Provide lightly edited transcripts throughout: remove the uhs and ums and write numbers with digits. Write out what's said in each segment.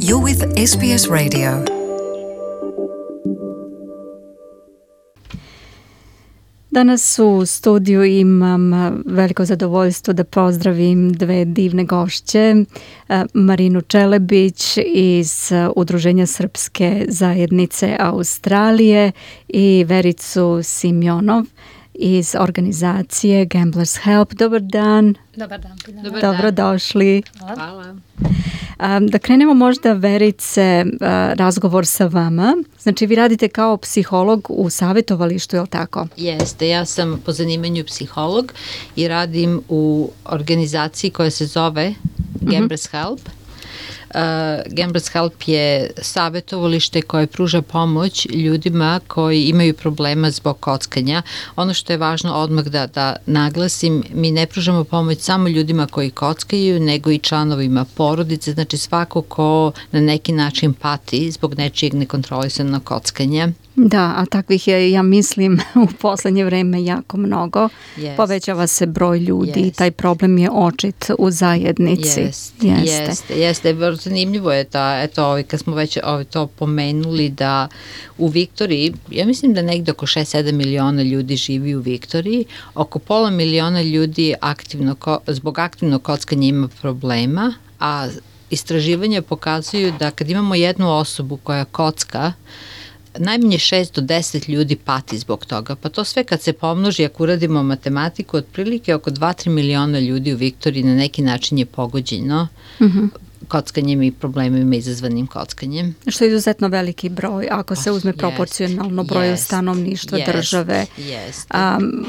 You're with SBS Radio. Danas u studiju imam veliko zadovoljstvo da pozdravim dve divne gošće, Marinu Čelebić iz Udruženja Srpske zajednice Australije i Vericu Simjonov iz organizacije Gamblers Help. Dobar dan. Dobar dan. Dobrodošli. Hvala. Da krenemo možda, Verice, razgovor sa vama. Znači, vi radite kao psiholog u savjetovalištu, je li tako? Jeste, ja sam po zanimanju psiholog i radim u organizaciji koja se zove Gamblers Help. Gamblers Help je savjetovalište koje pruža pomoć ljudima koji imaju problema zbog kockanja. Ono što je važno odmah da naglasim, mi ne pružamo pomoć samo ljudima koji kockaju, nego i članovima porodice, znači svako ko na neki način pati zbog nečijeg nekontrolisanog kockanja. Da, a takvih je, ja mislim, u poslednje vreme jako mnogo. Povećava se broj ljudi i taj problem je očit u zajednici. Jeste. Zanimljivo je da, eto, kad smo već to pomenuli, da u Viktoriji, ja mislim da negde oko 6-7 miliona ljudi živi u Viktoriji, oko pola miliona ljudi zbog aktivnog kockanja ima problema, a istraživanja pokazuju da kad imamo jednu osobu koja kocka, najmanje 6 do 10 ljudi pati zbog toga. Pa to sve kad se pomnoži, ako uradimo matematiku, otprilike oko 2-3 miliona ljudi u Viktoriji na neki način je pogođeno kockanjem i problemima izazvanim kockanjem. Što je izuzetno veliki broj, ako se uzme proporcionalno broju stanovništva države.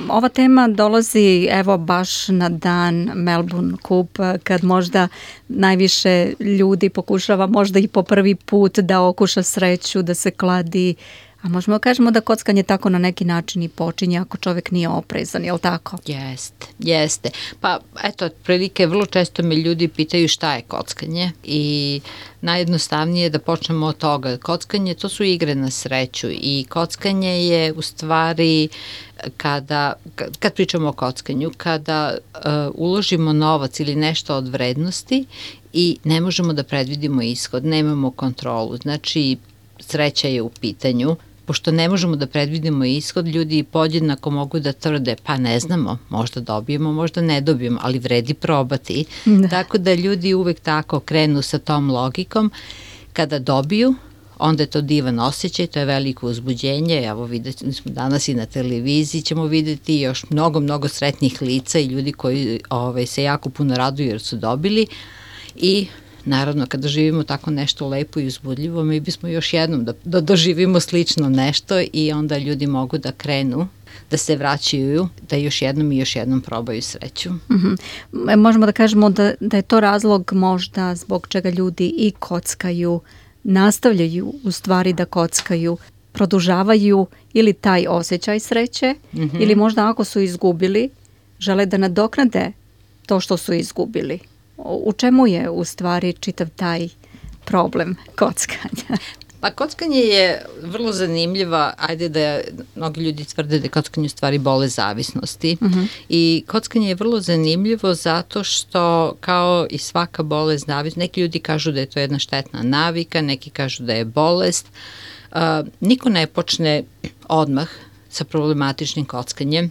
Ova tema dolazi evo baš na dan Melbourne Cup, kad možda najviše ljudi pokušava možda i po prvi put da okuša sreću, da se kladi. A možemo kažemo da kockanje tako na neki način i počinje ako čovjek nije oprezan, je li tako? Jeste. Pa eto, otprilike vrlo često me ljudi pitaju šta je kockanje i najjednostavnije je da počnemo od toga. Kockanje, to su igre na sreću i kockanje je u stvari kad pričamo o kockanju, kada uložimo novac ili nešto od vrednosti i ne možemo da predvidimo ishod, nemamo kontrolu. Znači, sreća je u pitanju. Pošto ne možemo da predvidimo ishod, ljudi podjednako mogu da tvrde, pa ne znamo, možda dobijemo, možda ne dobijemo, ali vredi probati. Tako da ljudi uvek tako krenu sa tom logikom. Kada dobiju, onda je to divan osjećaj, to je veliko uzbuđenje. Evo, vidjeli smo danas i na televiziji, ćemo vidjeti još mnogo sretnih lica i ljudi koji se jako puno raduju jer su dobili. I naravno, kada živimo tako nešto lepo i uzbudljivo, mi bismo još jednom da doživimo slično nešto i onda ljudi mogu da krenu, da se vraćaju, da još jednom probaju sreću. Možemo da kažemo da je to razlog možda zbog čega ljudi i kockaju, nastavljaju u stvari da kockaju, produžavaju ili taj osjećaj sreće ili možda ako su izgubili, žele da nadoknade to što su izgubili. U čemu je u stvari čitav taj problem kockanja? Pa kockanje je vrlo zanimljiva, ajde da mnogi ljudi tvrde da je kockanje u stvari bolest zavisnosti i kockanje je vrlo zanimljivo zato što kao i svaka bolest zavisnosti, neki ljudi kažu da je to jedna štetna navika, neki kažu da je bolest, niko ne počne odmah sa problematičnim kockanjem.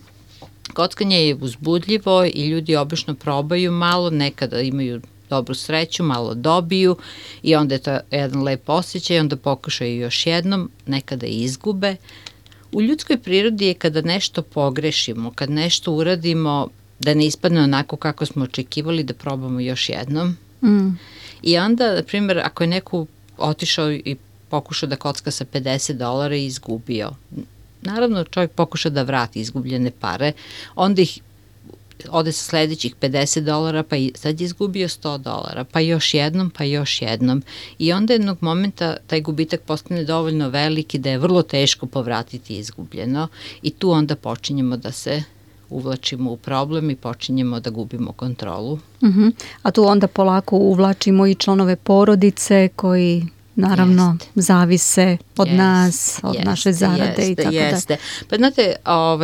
Kockanje je uzbudljivo i ljudi obično probaju malo, nekada imaju dobru sreću, malo dobiju i onda je to jedan lep osjećaj, onda pokušaju još jednom, nekada i izgube. U ljudskoj prirodi je kada nešto pogrešimo, kad nešto uradimo da ne ispadne onako kako smo očekivali, da probamo još jednom. I onda, na primjer, ako je neko otišao i pokušao da kocka sa $50 i izgubio, naravno, čovjek pokuša da vrati izgubljene pare, onda ih ode sa sledećih $50, pa sad je izgubio $100, pa još jednom. I onda jednog momenta taj gubitak postane dovoljno veliki da je vrlo teško povratiti izgubljeno i tu onda počinjemo da se uvlačimo u problem i počinjemo da gubimo kontrolu. A tu onda polako uvlačimo i članove porodice koji naravno zavise od nas, od naše zarade i tako da. Pa znate,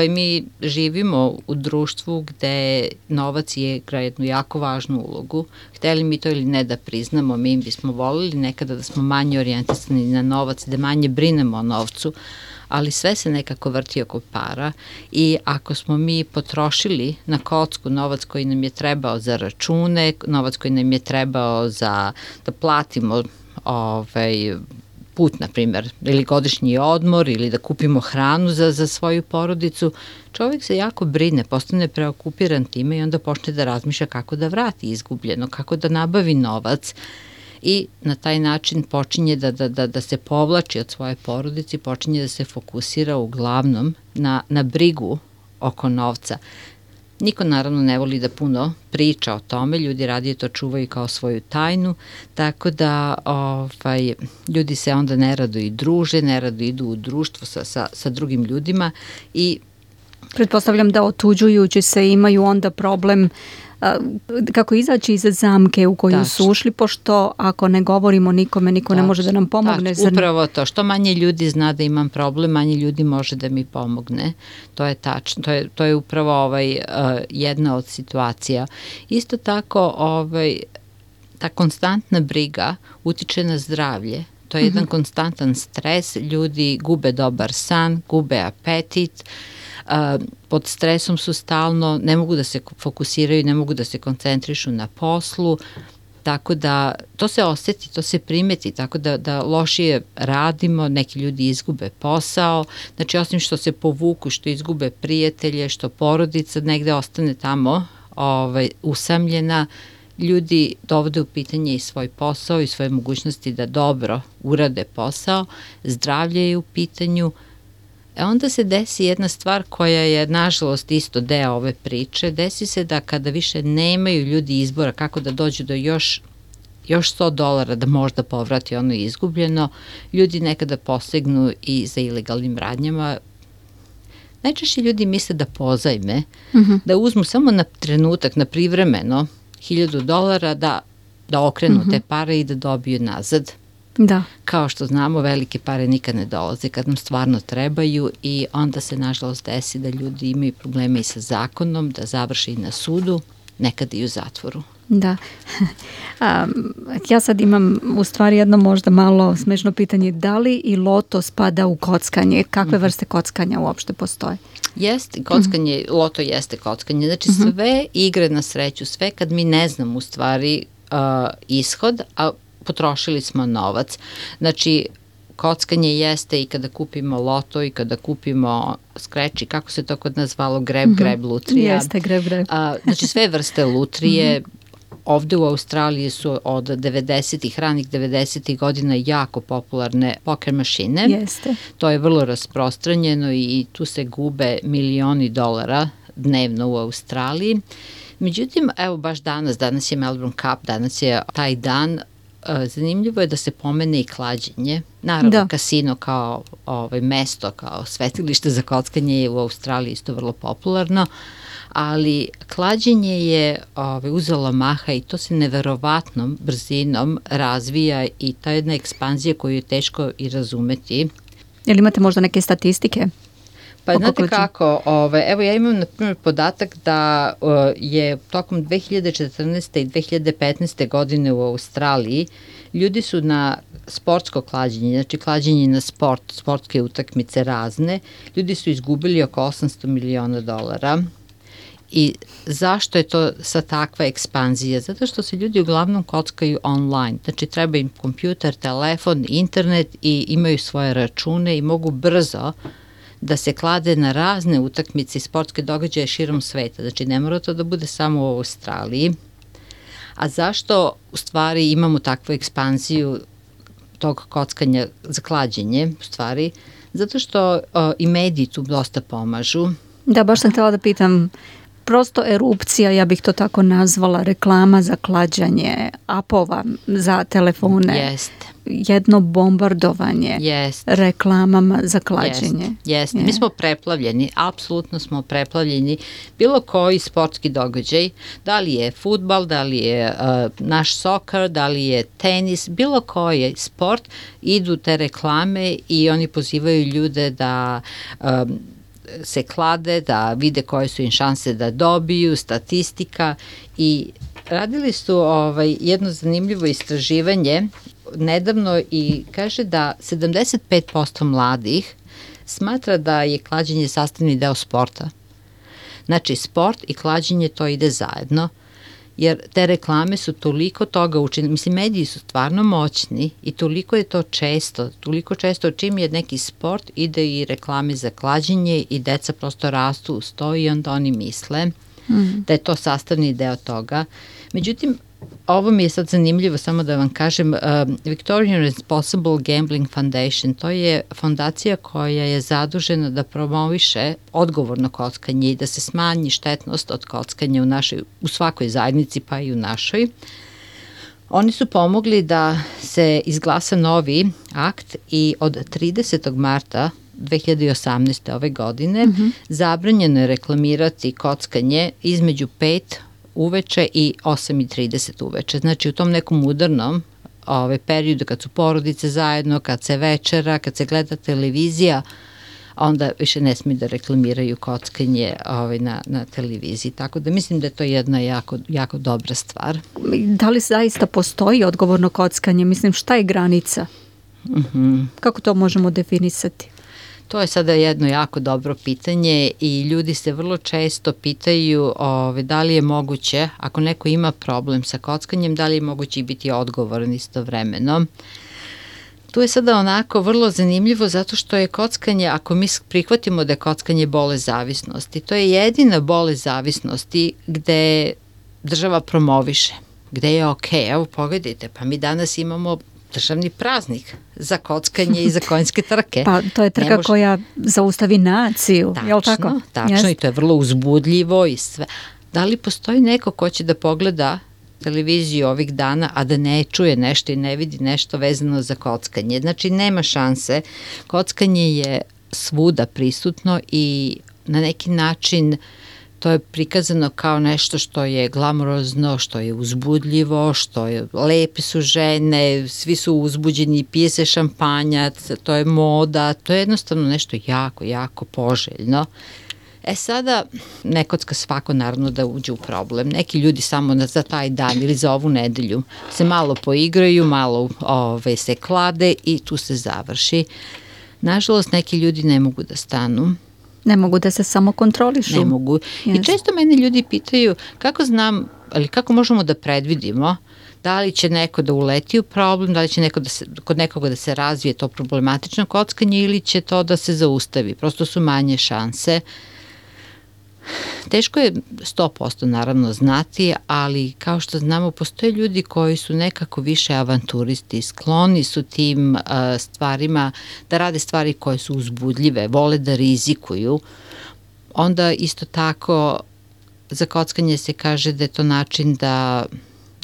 mi živimo u društvu gde novac igra jednu jako važnu ulogu. Hteli mi to ili ne da priznamo, mi bismo volili nekada da smo manje orijentisani na novac, da manje brinemo o novcu, ali sve se nekako vrti oko para i ako smo mi potrošili na kocku novac koji nam je trebao za račune, novac koji nam je trebao da platimo put, na primjer, ili godišnji odmor ili da kupimo hranu za svoju porodicu, čovjek se jako brine, postane preokupiran time i onda počne da razmišlja kako da vrati izgubljeno, kako da nabavi novac i na taj način počinje da se povlači od svoje porodice, počinje da se fokusira uglavnom na brigu oko novca. Niko naravno ne voli da puno priča o tome, ljudi radije to čuvaju kao svoju tajnu, tako da ljudi se onda nerado i druže, nerado idu u društvo sa drugim ljudima i pretpostavljam da otuđujući se imaju onda problem kako izaći iz zamke u koju su ušli, pošto ako ne govorimo nikome, niko ne može da nam pomogne. Upravo to, što manje ljudi zna da imam problem, manje ljudi može da mi pomogne. To je tačno, to je upravo jedna od situacija. Isto tako, ta konstantna briga utiče na zdravlje. To je jedan konstantan stres, ljudi gube dobar san, gube apetit, pod stresom su stalno, ne mogu da se fokusiraju, ne mogu da se koncentrišu na poslu, tako da to se osjeti, to se primeti, tako da lošije radimo, neki ljudi izgube posao, znači osim što se povuku, što izgube prijatelje, što porodica negde ostane tamo usamljena, ljudi dovode u pitanje i svoj posao i svoje mogućnosti da dobro urade posao, zdravlje je u pitanju. Onda se desi jedna stvar koja je nažalost isto deo ove priče, desi se da kada više nemaju ljudi izbora kako da dođu do još $100 da možda povrati ono izgubljeno, ljudi nekada posegnu i za ilegalnim radnjama. Najčešće ljudi misle da pozajme, da uzmu samo na trenutak, na privremeno $1,000 da okrenu te pare i da dobiju nazad. Da. Kao što znamo, velike pare nikad ne dolaze kad nam stvarno trebaju i onda se nažalost desi da ljudi imaju probleme i sa zakonom, da završe i na sudu, nekada i u zatvoru. Da. Ja sad imam u stvari jedno možda malo smešno pitanje, da li i loto spada u kockanje? Kakve vrste kockanja uopšte postoje? Jeste, kockanje, loto jeste kockanje. Znači sve igre na sreću, sve kad mi ne znamo u stvari ishod, a potrošili smo novac. Znači, kockanje jeste i kada kupimo loto i kada kupimo skreči, kako se to kod nas zvalo, greb lutrija. Jeste, greb. Znači, sve vrste lutrije. Ovde u Australiji su od 90-ih, ranih 90-ih godina jako popularne poker mašine. Jeste. To je vrlo rasprostranjeno i tu se gube milioni dolara dnevno u Australiji. Međutim, evo baš danas je Melbourne Cup, danas je taj dan. Zanimljivo je da se pomene i klađenje. Naravno, kasino kao mesto, kao svetilište za kockanje je u Australiji isto vrlo popularno, ali klađenje je uzelo maha i to se neverovatnom brzinom razvija i ta jedna ekspanzija koju je teško i razumeti. Jel imate možda neke statistike? Pa znate kako, evo ja imam na primjer podatak da je tokom 2014. i 2015. godine u Australiji ljudi su na sportsko klađenje, znači klađenje na sportske utakmice razne, ljudi su izgubili oko $800 miliona. I zašto je to sa takva ekspanzija? Zato što se ljudi uglavnom kockaju online, znači treba im kompjuter, telefon, internet i imaju svoje račune i mogu brzo da se klade na razne utakmice i sportske događaje širom sveta. Znači ne mora to da bude samo u Australiji. A zašto u stvari imamo takvu ekspanziju tog kockanja za klađenje u stvari? Zato što i mediji tu dosta pomažu. Da, baš sam htjela da pitam, prosto erupcija, ja bih to tako nazvala, reklama za klađanje, apova za telefone. Jeste. jedno bombardovanje reklamama za klađenje. Jeste. Mi smo preplavljeni, apsolutno smo preplavljeni. Bilo koji sportski događaj, da li je fudbal, da li je naš soccer, da li je tenis, bilo koji sport, idu te reklame i oni pozivaju ljude da se klade, da vide koje su im šanse da dobiju, statistika, i radili su jedno zanimljivo istraživanje nedavno i kaže da 75% mladih smatra da je klađenje sastavni deo sporta. Znači, sport i klađenje to ide zajedno, jer te reklame su toliko toga učinili. Mislim, mediji su stvarno moćni i toliko je to često čim je neki sport, ide i reklame za klađenje i deca prosto rastu uz to i onda oni misle da je to sastavni deo toga. Međutim, ovo mi je sad zanimljivo, samo da vam kažem, Victorian Responsible Gambling Foundation, to je fondacija koja je zadužena da promoviše odgovorno kockanje i da se smanji štetnost od kockanja u svakoj zajednici, pa i u našoj. Oni su pomogli da se izglasa novi akt i od 30. marta 2018. ove godine zabranjeno je reklamirati kockanje između 5 uveče i 8:30 uveče. Znači, u tom nekom udarnom periodu kad su porodice zajedno, kad se večera, kad se gleda televizija, onda više ne smiju da reklamiraju kockanje na televiziji. Tako da mislim da je to jedna jako dobra stvar. Da li zaista postoji odgovorno kockanje? Mislim, šta je granica? Kako to možemo definisati? To je sada jedno jako dobro pitanje i ljudi se vrlo često pitaju da li je moguće, ako neko ima problem sa kockanjem, da li je moguće biti odgovoran istovremeno. Tu je sada onako vrlo zanimljivo zato što je kockanje, ako mi prihvatimo da je kockanje bolest zavisnosti, to je jedina bolest zavisnosti gde država promoviše, gde je okej. Evo pogledajte, pa mi danas imamo državni praznik za kockanje i za konjske trke. Pa to je trka koja zaustavi naciju, je li tako? Tačno, i to je vrlo uzbudljivo i sve. Da li postoji neko ko će da pogleda televiziju ovih dana, a da ne čuje nešto i ne vidi nešto vezano za kockanje? Znači, nema šanse. Kockanje je svuda prisutno i na neki način to je prikazano kao nešto što je glamurozno, što je uzbudljivo, što je lepe su žene, svi su uzbuđeni, pije se šampanjac, to je moda, to je jednostavno nešto jako poželjno. Sada ne kocka svako naravno da uđe u problem. Neki ljudi samo za taj dan ili za ovu nedelju se malo poigraju, malo se klade i tu se završi. Nažalost, neki ljudi ne mogu da stanu. Ne mogu da se samo kontrolišu. Ne mogu. I često mene ljudi pitaju kako znam, ali kako možemo da predvidimo da li će neko da uleti u problem, da li će kod nekoga da se razvije to problematično kockanje ili će to da se zaustavi. Prosto su manje šanse. Teško je 100% naravno znati, ali kao što znamo postoje ljudi koji su nekako više avanturisti, skloni su tim stvarima, da rade stvari koje su uzbudljive, vole da rizikuju. Onda isto tako za kockanje se kaže da je to način da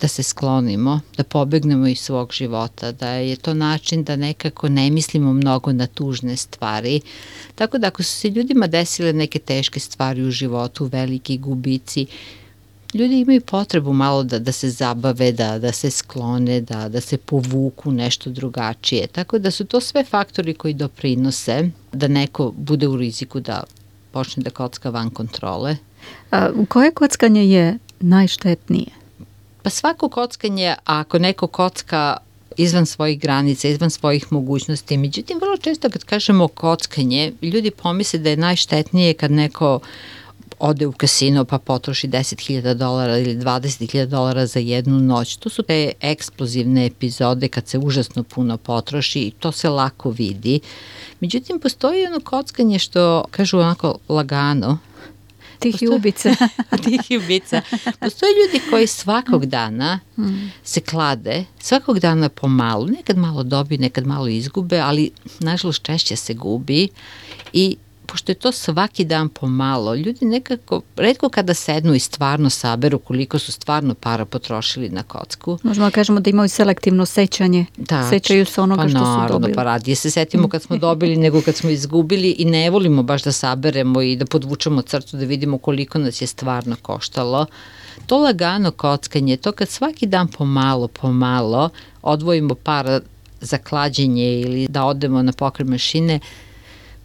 se sklonimo, da pobegnemo iz svog života, da je to način da nekako ne mislimo mnogo na tužne stvari. Tako da ako su se ljudima desile neke teške stvari u životu, veliki gubici, ljudi imaju potrebu malo da se zabave, da se sklone, da se povuku nešto drugačije. Tako da su to sve faktori koji doprinose da neko bude u riziku da počne da kocka van kontrole. Koje kockanje je najštetnije? Pa svako kockanje, ako neko kocka izvan svojih granica, izvan svojih mogućnosti, međutim, vrlo često kad kažemo kockanje, ljudi pomisle da je najštetnije kad neko ode u kasino pa potroši $10.000 ili $20.000 za jednu noć. To su te eksplozivne epizode kad se užasno puno potroši i to se lako vidi. Međutim, postoji ono kockanje što kažu onako lagano, Tihi ubice. Tihi ubica. Postoje ljudi koji svakog dana se klade, svakog dana pomalu, nekad malo dobiju, nekad malo izgube, ali nažalost češće se gubi i pošto je to svaki dan pomalo, ljudi nekako, retko kada sednu i stvarno saberu koliko su stvarno para potrošili na kocku. Možemo da kažemo da imaju selektivno sećanje. Da, sećaju se onoga što su dobili. Pa radije se setimo kad smo dobili nego kad smo izgubili i ne volimo baš da saberemo i da podvučemo crtu da vidimo koliko nas je stvarno koštalo. To lagano kockanje, to kad svaki dan pomalo odvojimo para za klađenje ili da odemo na pokret mašine,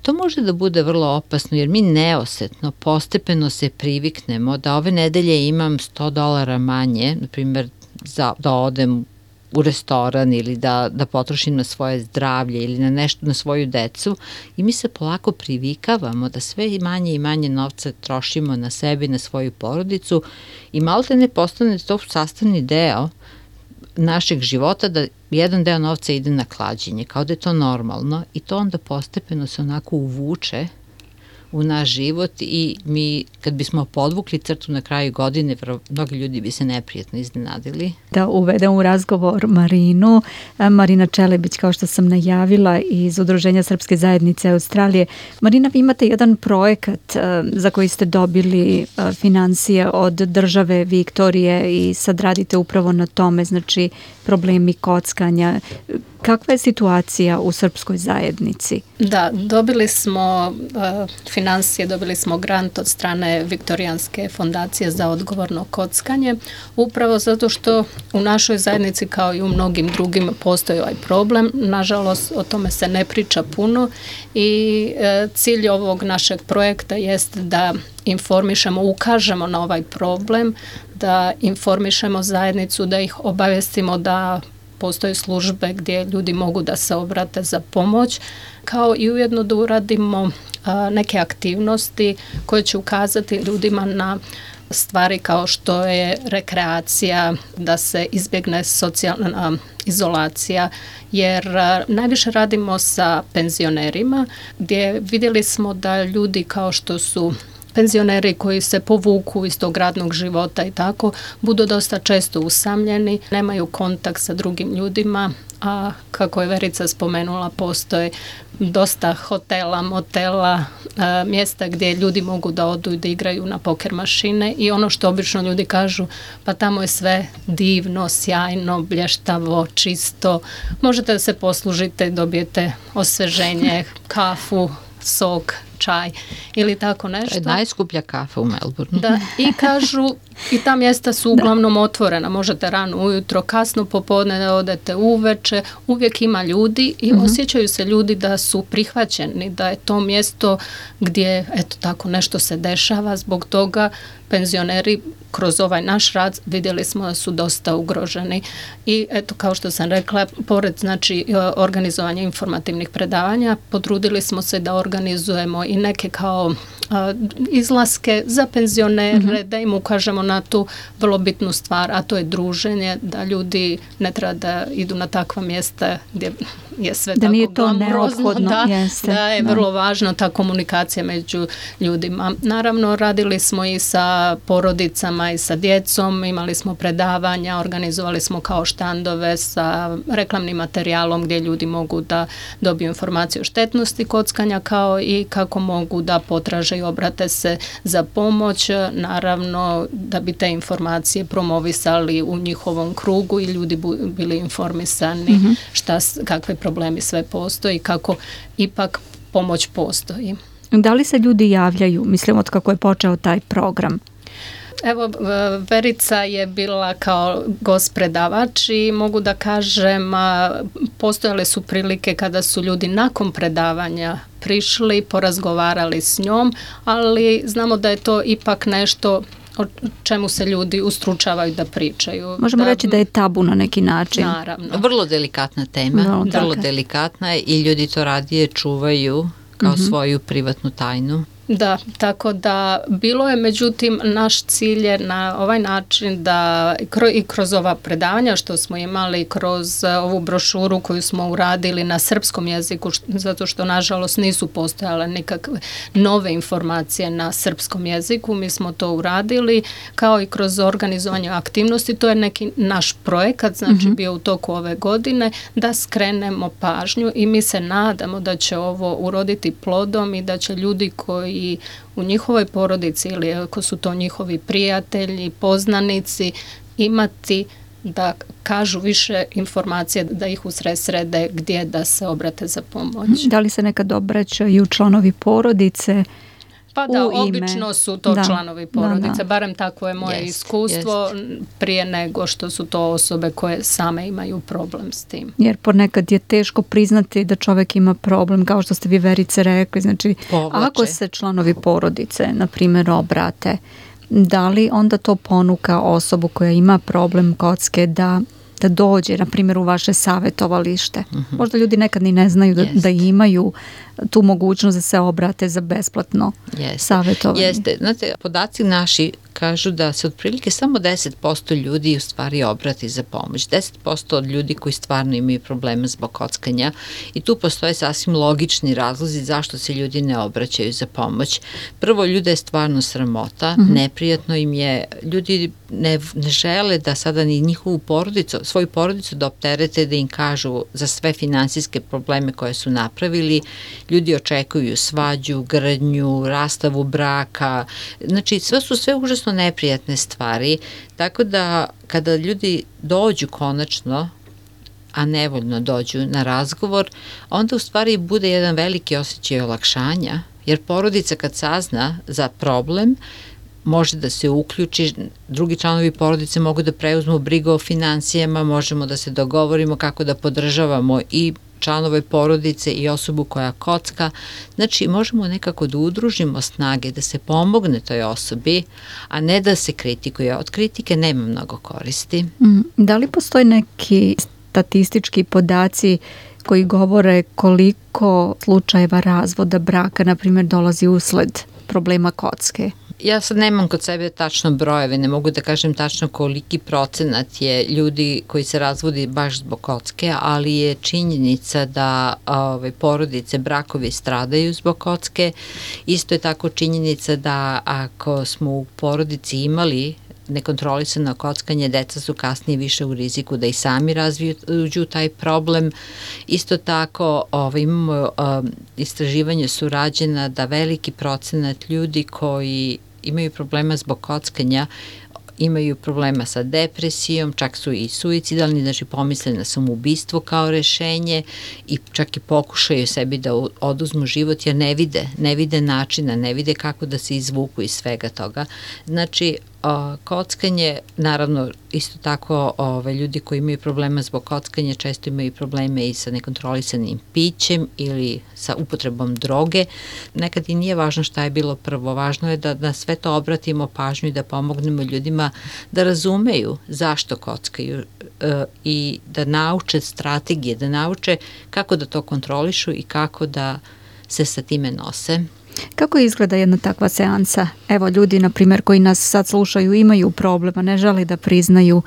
to može da bude vrlo opasno jer mi neosetno, postepeno se priviknemo da ove nedelje imam $100 manje, na primjer da odem u restoran ili da potrošim na svoje zdravlje ili na nešto, na svoju decu i mi se polako privikavamo da sve manje i manje novca trošimo na sebe i na svoju porodicu i malo te ne postane to sastavni deo našeg života da jedan deo novca ide na klađenje, kao da je to normalno i to onda postepeno se onako uvuče u naš život i mi kad bismo podvukli crtu na kraju godine, mnogi ljudi bi se neprijatno iznenadili. Da uvedem u razgovor Marinu. Marina Čelebić, kao što sam najavila, iz Udruženja Srpske zajednice Australije. Marina, vi imate jedan projekat za koji ste dobili financije od države Viktorije i sad radite upravo na tome, znači problemi kockanja. Kakva je situacija u srpskoj zajednici? Da, dobili smo financije, dobili smo grant od strane Viktorijanske fondacije za odgovorno kockanje, upravo zato što u našoj zajednici kao i u mnogim drugim postoji ovaj problem. Nažalost, o tome se ne priča puno i cilj ovog našeg projekta jest da informišemo, ukažemo na ovaj problem, da informišemo zajednicu, da ih obavestimo da postoje službe gdje ljudi mogu da se obrate za pomoć, kao i ujedno da uradimo neke aktivnosti koje će ukazati ljudima na stvari kao što je rekreacija, da se izbjegne socijalna izolacija, jer najviše radimo sa penzionerima gdje vidjeli smo da ljudi kao što su penzioneri koji se povuku iz tog radnog života i tako, budu dosta često usamljeni, nemaju kontakt sa drugim ljudima, a kako je Verica spomenula, postoje dosta hotela, motela, mjesta gdje ljudi mogu da odu i da igraju na poker mašine i ono što obično ljudi kažu, pa tamo je sve divno, sjajno, blještavo, čisto, možete da se poslužite, dobijete osveženje, kafu, sok, čaj ili tako nešto. To je najskuplja kafa u Melbourneu. Da, i kažu, i ta mjesta su uglavnom otvorena, možete rano ujutro, kasno popodne da odete uveče, uvijek ima ljudi i osjećaju se ljudi da su prihvaćeni, da je to mjesto gdje eto tako nešto se dešava, zbog toga penzioneri kroz ovaj naš rad vidjeli smo da su dosta ugroženi i eto kao što sam rekla, pored znači organizovanja informativnih predavanja, potrudili smo se da organizujemo i neke kao izlaske za penzionere, da im ukažemo na tu vrlo bitnu stvar, a to je druženje, da ljudi ne treba da idu na takva mjesta gdje je sve da tako nije to glamurozno, da je da. vrlo važno ta komunikacija među ljudima. Naravno, radili smo i sa porodicama i sa djecom, imali smo predavanja, organizovali smo kao štandove sa reklamnim materijalom gdje ljudi mogu da dobiju informaciju o štetnosti kockanja, kao i kako mogu da potraže i obrate se za pomoć, naravno da bi te informacije promovisali u njihovom krugu i ljudi bili informisani kakve problemi sve postoji, kako ipak pomoć postoji. Da li se ljudi javljaju, mislim, od kako je počeo taj program? Evo, Verica je bila kao gost predavač i mogu da kažem, postojale su prilike kada su ljudi nakon predavanja prišli, porazgovarali s njom, ali znamo da je to ipak nešto o čemu se ljudi ustručavaju da pričaju. Možemo reći da je tabu na neki način. Naravno. Vrlo delikatna tema, vrlo delikatna i ljudi to radije čuvaju kao svoju privatnu tajnu. Da, tako da bilo je, međutim, naš cilj je na ovaj način da i kroz ova predavanja što smo imali, kroz ovu brošuru koju smo uradili na srpskom jeziku, zato što nažalost nisu postojale nikakve nove informacije na srpskom jeziku, mi smo to uradili, kao i kroz organizovanje aktivnosti, to je neki naš projekat, znači bio u toku ove godine, da skrenemo pažnju i mi se nadamo da će ovo uroditi plodom i da će ljudi koji u njihovoj porodici ili ako su to njihovi prijatelji, poznanici, imati da kažu više informacije, da ih usresrede gdje da se obrate za pomoć. Da li se nekad obraćaju članovi porodice? Pa da, obično su to članovi porodice, barem tako je moje iskustvo, prije nego što su to osobe koje same imaju problem s tim. Jer ponekad je teško priznati da čovjek ima problem, kao što ste vi, Verice, rekli, znači ako se članovi porodice, na primjer, obrate, da li onda to ponuka osobu koja ima problem kocke da dođe, na primjer, u vaše savjetovalište? Možda ljudi nekad ni ne znaju da imaju tu mogućnost da se obrate za besplatno savjetovanje. Jeste. Znate, podaci naši kažu da se otprilike samo 10% ljudi u stvari obrati za pomoć. 10% od ljudi koji stvarno imaju problema zbog kockanja i tu postoje sasvim logični razlozi zašto se ljudi ne obraćaju za pomoć. Prvo, ljude je stvarno sramota, neprijatno im je, ljudi ne žele da sada ni njihovu porodicu, svoju porodicu da opterete, da im kažu za sve finansijske probleme koje su napravili. Ljudi očekuju svađu, grdnju, rastavu braka, znači sve užasno neprijatne stvari, tako da kada ljudi dođu konačno, a nevoljno dođu na razgovor, onda u stvari bude jedan veliki osjećaj olakšanja, jer porodica kad sazna za problem, može da se uključi, drugi članovi porodice mogu da preuzmu brigu o financijama, možemo da se dogovorimo kako da podržavamo i članove porodice i osobu koja kocka. Znači, možemo nekako da udružimo snage, da se pomogne toj osobi, a ne da se kritikuje. Od kritike nema mnogo koristi. Da li postoje neki statistički podaci koji govore koliko slučajeva razvoda braka, na primjer, dolazi usled problema kocke? Ja sad nemam kod sebe tačno brojeve, ne mogu da kažem tačno koliki procenat je ljudi koji se razvodi baš zbog kocke, ali je činjenica da porodice, brakovi stradaju zbog kocke. Isto je tako činjenica da ako smo u porodici imali nekontrolisano kockanje, deca su kasnije više u riziku da i sami razviju taj problem. Isto tako imamo istraživanje su rađena da veliki procenat ljudi koji imaju problema zbog kockanja imaju problema sa depresijom, čak su i suicidalni, znači pomisle na samoubistvo kao rešenje i čak i pokušaju sebi da oduzmu život jer ne vide načina, ne vide kako da se izvuku iz svega toga. Znači, kockanje, naravno, isto tako ljudi koji imaju problema zbog kockanja često imaju probleme i sa nekontrolisanim pićem ili sa upotrebom droge. Nekad i nije važno šta je bilo prvo, važno je da na sve to obratimo pažnju i da pomognemo ljudima da razumeju zašto kockaju i da nauče strategije, da nauče kako da to kontrolišu i kako da se sa time nose. Kako izgleda jedna takva seansa? Evo, ljudi, na primjer, koji nas sad slušaju, imaju problema, ne žele da priznaju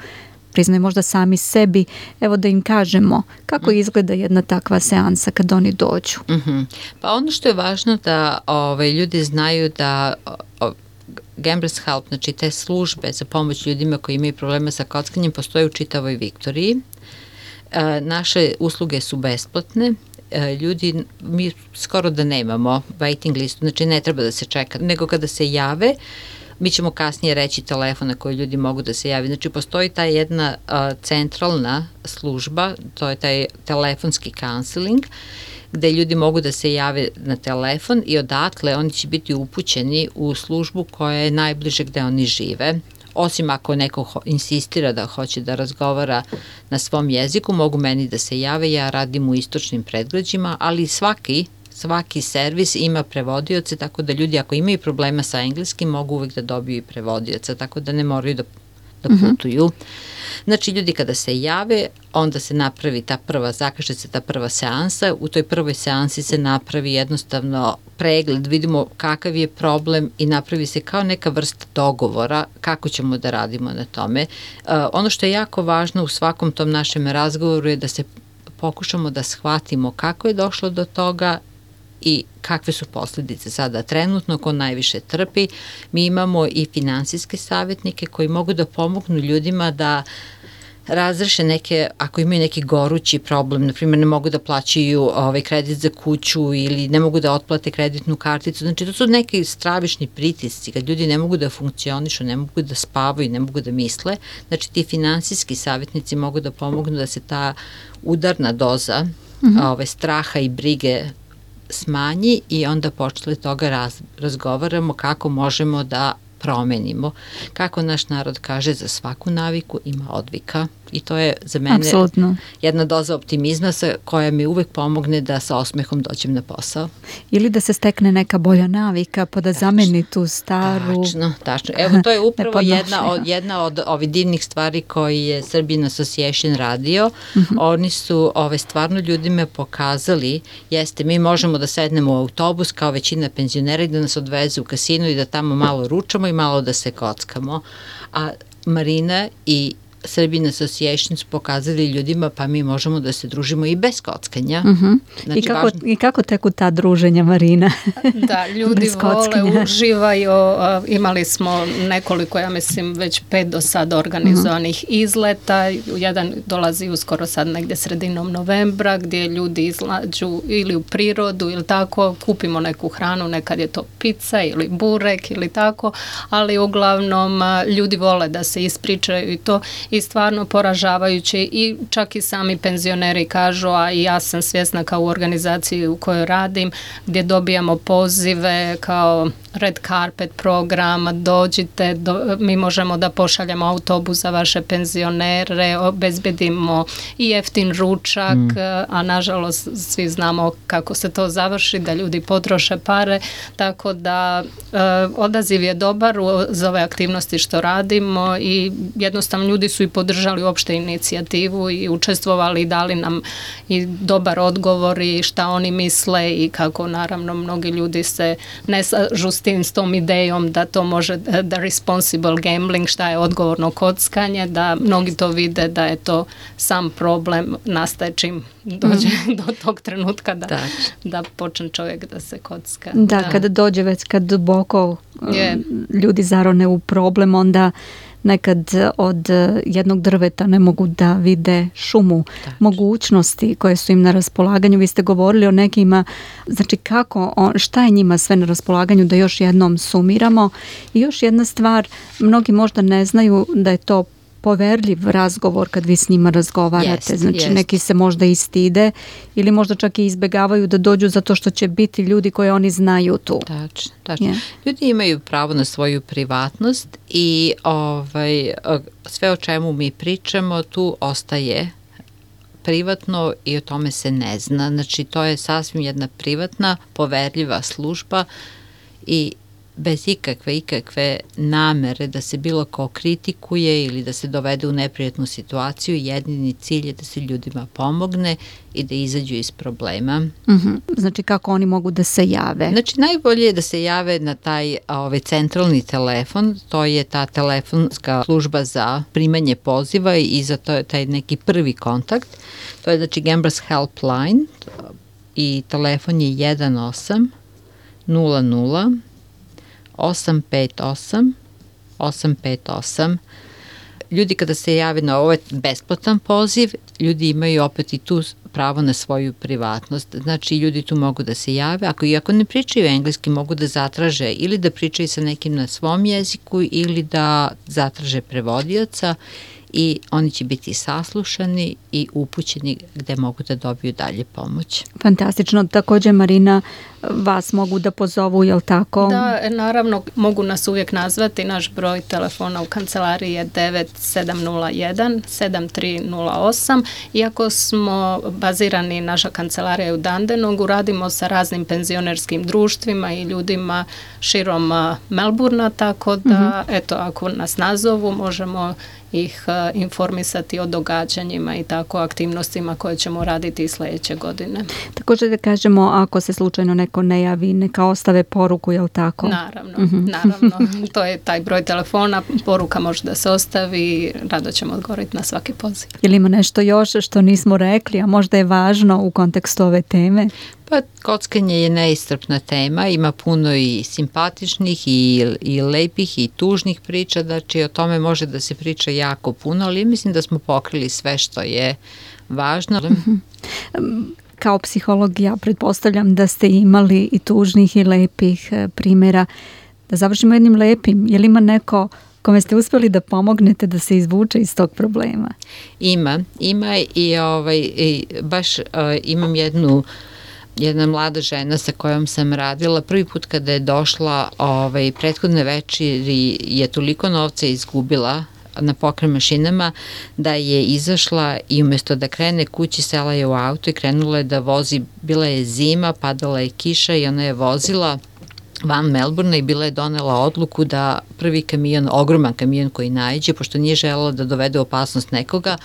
možda sami sebi, evo da im kažemo kako izgleda jedna takva seansa kad oni dođu. Pa ono što je važno da ljudi znaju da Gamblers Help, znači te službe za pomoć ljudima koji imaju problema sa kockanjem, postoje u čitavoj Viktoriji. Naše usluge su besplatne. Ljudi, mi skoro da nemamo waiting listu, znači ne treba da se čeka, nego kada se jave, mi ćemo kasnije reći telefon na koji ljudi mogu da se javi. Znači, postoji ta jedna centralna služba, to je taj telefonski counseling, gde ljudi mogu da se jave na telefon i odatle oni će biti upućeni u službu koja je najbliže gde oni žive. Osim ako neko insistira da hoće da razgovara na svom jeziku, mogu meni da se jave, ja radim u istočnim predgrađima, ali svaki servis ima prevodioce, tako da ljudi ako imaju problema sa engleskim mogu uvek da dobiju i prevodioca, tako da ne moraju da putuju. Znači, ljudi kada se jave, onda se napravi zakaže se ta prva seansa, u toj prvoj seansi se napravi jednostavno pregled, vidimo kakav je problem i napravi se kao neka vrsta dogovora kako ćemo da radimo na tome. Ono što je jako važno u svakom tom našem razgovoru je da se pokušamo da shvatimo kako je došlo do toga i kakve su posljedice sada trenutno, ko najviše trpi. Mi imamo i finansijske savjetnike koji mogu da pomognu ljudima da razreše neke, ako imaju neki gorući problem, na primjer ne mogu da plaćaju kredit za kuću ili ne mogu da otplate kreditnu karticu, znači to su neki stravični pritisci, kad ljudi ne mogu da funkcionišu, ne mogu da spavaju, ne mogu da misle, znači ti finansijski savjetnici mogu da pomognu da se ta udarna doza straha i brige smanji i onda počeli toga razgovaramo kako možemo da promenimo. Kako naš narod kaže, za svaku naviku ima odvika i to je za mene jedna doza optimizma koja mi uvek pomogne da sa osmehom dođem na posao. Ili da se stekne neka bolja navika pa da zameni tu staru. Tačno. Evo, to je upravo jedna od ovih divnih stvari koji je Serbian Association radio. Oni su stvarno ljudima pokazali, mi možemo da sednemo u autobus kao većina penzionera i da nas odvezu u kasinu i da tamo malo ručamo i malo da se kockamo. A Marina i Serbian Association su pokazali ljudima pa mi možemo da se družimo i bez kockanja. Znači, I kako teku ta druženja, Marina? Da, ljudi vole, uživaju. Imali smo nekoliko, ja mislim, već 5 do sada organizovanih izleta. Jedan dolazi uskoro sad negdje sredinom novembra gdje ljudi izlađu ili u prirodu ili tako, kupimo neku hranu, nekad je to pizza ili burek ili tako, ali uglavnom ljudi vole da se ispričaju i to. I stvarno poražavajuće i čak i sami penzioneri kažu, a i ja sam svjesna kao u organizaciji u kojoj radim, gdje dobijamo pozive kao red carpet program, dođite, mi možemo da pošaljemo autobus za vaše penzionere, obezbedimo i jeftin ručak, a nažalost svi znamo kako se to završi, da ljudi potroše pare, tako da odaziv je dobar za ove aktivnosti što radimo i jednostavno ljudi su i podržali uopšte inicijativu i učestvovali i dali nam i dobar odgovor i šta oni misle i kako naravno mnogi ljudi se ne slažu s tom idejom da to može da responsible gambling, šta je odgovorno kockanje, da mnogi to vide da je to sam problem nastaje čim dođe do tog trenutka da počne čovjek da se kocka. Da, kada dođe već kad duboko ljudi zarone u problem, onda nekad od jednog drveta ne mogu da vide šumu mogućnosti koje su im na raspolaganju. Vi ste govorili o nekima, znači šta je njima sve na raspolaganju, da još jednom sumiramo. I još jedna stvar, mnogi možda ne znaju da je to poverljiv razgovor kad vi s njima razgovarate. Znači neki se možda i stide ili možda čak i izbegavaju da dođu zato što će biti ljudi koje oni znaju tu. Tačno. Ljudi imaju pravo na svoju privatnost i sve o čemu mi pričamo tu ostaje privatno i o tome se ne zna. Znači to je sasvim jedna privatna, poverljiva služba i bez ikakve namere da se bilo ko kritikuje ili da se dovede u neprijatnu situaciju, jedini cilj je da se ljudima pomogne i da izađu iz problema. Znači kako oni mogu da se jave? Znači najbolje je da se jave na taj centralni telefon, to je ta telefonska služba za primanje poziva i za to je taj neki prvi kontakt. To je znači Gamblers Helpline i telefon je 18 00 858. Ljudi kada se jave na ovaj besplatan poziv, ljudi imaju opet i tu pravo na svoju privatnost. Znači ljudi tu mogu da se jave, ako ne pričaju engleski mogu da zatraže ili da pričaju sa nekim na svom jeziku ili da zatraže prevodioca i oni će biti saslušani i upućeni gde mogu da dobiju dalje pomoć. Fantastično. Također, Marina, vas mogu da pozovu, je li tako? Da, naravno, mogu nas uvijek nazvati. Naš broj telefona u kancelariji je 9701 7308. Iako smo bazirani, naša kancelarija je u Dandenongu, radimo sa raznim penzionerskim društvima i ljudima širom Melburna, tako da, eto, ako nas nazovu, možemo ih informisati o događanjima i tako aktivnostima koje ćemo raditi i sljedeće godine. Također da kažemo, ako se slučajno neko ne javi, neka ostave poruku, je li tako? Naravno, to je taj broj telefona, poruka može da se ostavi, rado ćemo odgovoriti na svaki poziv. Je li ima nešto još što nismo rekli, a možda je važno u kontekstu ove teme? Pa kockanje je neiscrpna tema, ima puno i simpatičnih i lepih i tužnih priča, znači o tome može da se priča jako puno, ali mislim da smo pokrili sve što je važno. Kao psiholog ja pretpostavljam da ste imali i tužnih i lepih primjera. Da završimo jednim lepim, je li ima neko kome ste uspjeli da pomognete da se izvuče iz tog problema? Ima i baš imam jedna mlada žena sa kojom sam radila. Prvi put kada je došla, prethodne večeri je toliko novca izgubila na pokret mašinama da je izašla i umjesto da krene kući, sela je u auto i krenula je da vozi. Bila je zima, padala je kiša i ona je vozila van Melburna i bila je donela odluku da prvi kamion, ogroman kamion koji naiđe, pošto nije želela da dovede opasnost nekoga,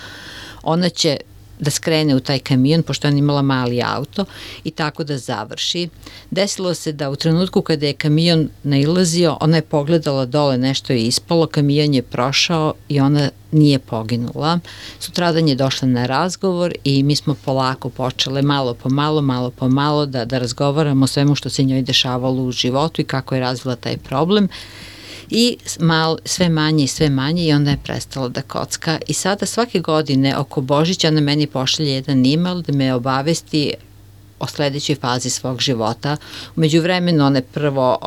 ona će da skrene u taj kamion, pošto ona imala mali auto i tako da završi. Desilo se da u trenutku kada je kamion nailazio, ona je pogledala dole, nešto je ispalo, kamion je prošao i ona nije poginula. Sutradan je došla na razgovor i mi smo polako počele malo po malo da razgovaramo o svemu što se njoj dešavalo u životu i kako je razvila taj problem. I sve manje i onda je prestala da kocka. I sada svake godine oko Božića ona meni pošalje jedan email da me obavesti o sledećoj fazi svog života. U međuvremenu ona je prvo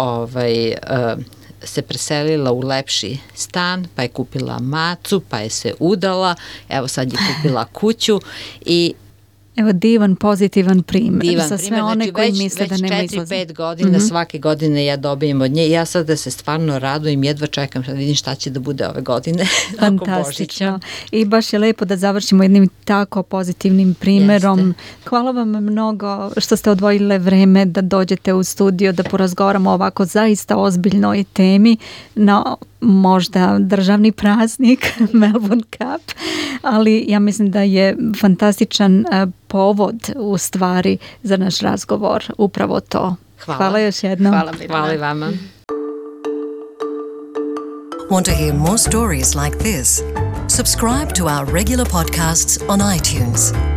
se preselila u lepši stan, pa je kupila macu, pa je se udala, evo sad je kupila kuću i evo divan, pozitivan primjer za sve one znači, koji misle da nema izlaza. Već 4-5 godina, svake godine ja dobijem od nje i ja sad da se stvarno radujem, jedva čekam da vidim šta će da bude ove godine. Fantastično. I baš je lepo da završimo jednim tako pozitivnim primjerom. Jeste. Hvala vam mnogo što ste odvojile vreme da dođete u studio, da porazgovaramo o ovako zaista ozbiljnoj temi na možda državni praznik Melbourne Cup, ali ja mislim da je fantastičan povod u stvari za naš razgovor upravo to. Hvala još jednom. Hvala i vama. Want to hear more stories like this? Subscribe to our regular podcasts on iTunes.